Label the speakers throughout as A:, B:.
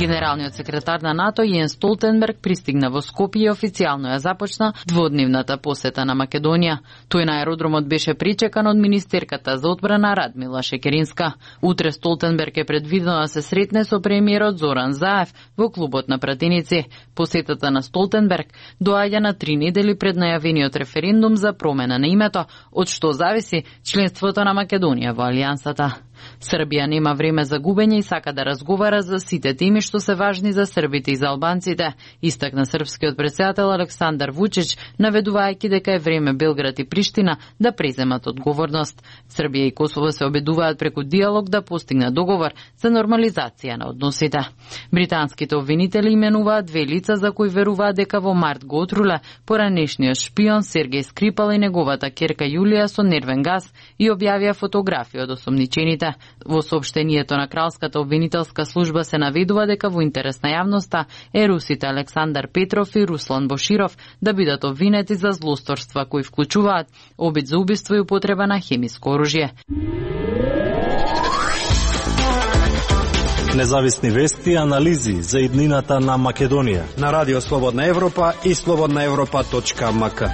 A: Генералниот секретар на НАТО Јенс Столтенберг пристигна во Скопје и официјално ја започна дводневната посета на Македонија. Тој на аеродромот беше причекан од министерката за одбрана Радмила Шекеринска. Утре Столтенберг е предвидено да се сретне со премиерот Зоран Заев во клубот на пратеници. Посетата на Столтенберг доаѓа на 3 недели пред најавениот референдум за промена на името, од што зависи членството на Македонија во алијансата. Србија нема време за губење и сака да разговара за сите теми што се важни за србите и за албанците, истакна српскиот претседател Александар Вучич, наведувајќи дека е време Белград и Приштина да преземат одговорност. Србија и Косово се обидуваат преку диалог да постигнат договор за нормализација на односите. Британските обвинители именуваат 2 лица за кои веруваат дека во март го отруле поранешниот шпион Сергеј Скрипал и неговата ќерка Јулија со нервен газ и објавија фотографии од осомничените. Во соопштението на Кралската обвинителска служба се наведува дека во интерес на јавноста е русите Александар Петров и Руслан Боширов да бидат обвинети за злосторства кои вклучуваат обид за убиство и употреба на хемиско оружје.
B: Независни вести и анализи за иднината на Македонија
C: на Радио Слободна Европа и slobodnaevropa.mk.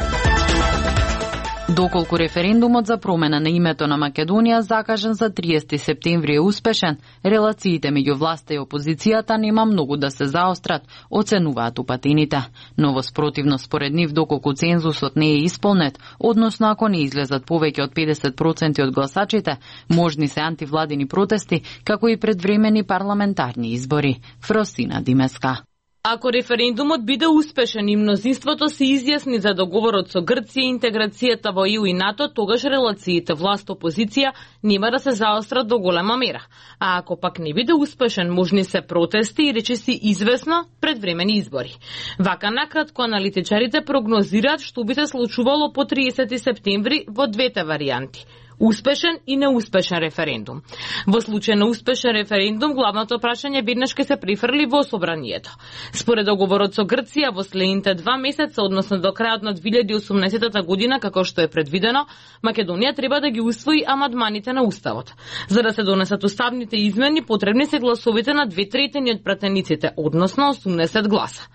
A: Доколку референдумот за промена на името на Македонија закажан за 30 септември е успешен, релациите меѓу власта и опозицијата нема многу да се заострат, оценуваат упатените. Но во спротивно според нив, доколку цензусот не е исполнет, односно ако не излезат повеќе од 50% од гласачите, можни се антивладини протести, како и предвремени парламентарни избори. Фросина Димеска.
D: Ако референдумот биде успешен и мнозинството се изјасни за договорот со Грција и интеграцијата во ЕУ и НАТО, тогаш релациите власт-опозиција нема да се заострат до голема мера. А ако пак не биде успешен, можни се протести и речиси известно предвремени избори. Вака накратко аналитичарите прогнозираат што би се случувало по 30 септември во двете варијанти. Успешен и неуспешен референдум. Во случај на успешен референдум, главното прашање веднаш ќе се прифрли во собранието. Според договорот со Грција, во следните 2 месеца, односно до крајот на 2018 година, како што е предвидено, Македонија треба да ги усвои амандманите на Уставот. За да се донесат уставните измени, потребни се гласовите на 2/3 од пратениците, односно 80 гласа.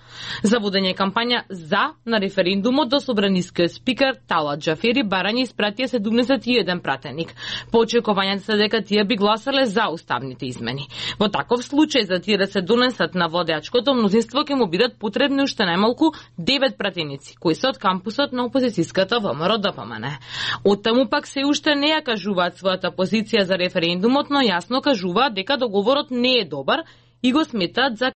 D: За водење кампања за на референдумот до собранискиот спикер Талат Џафери барање испратија 71 пратеник. По очекувањата се дека тие би гласале за уставните измени. Во таков случај, за тие да се донесат на водеачкото мнозинство, ќе му бидат потребни уште најмалку 9 пратеници, кои се од кампусот на опозицијската ВМРО-ДПМН. Оттаму пак се уште не ја кажуваат својата позиција за референдумот, но јасно кажуваат дека договорот не е добар и го сметаат за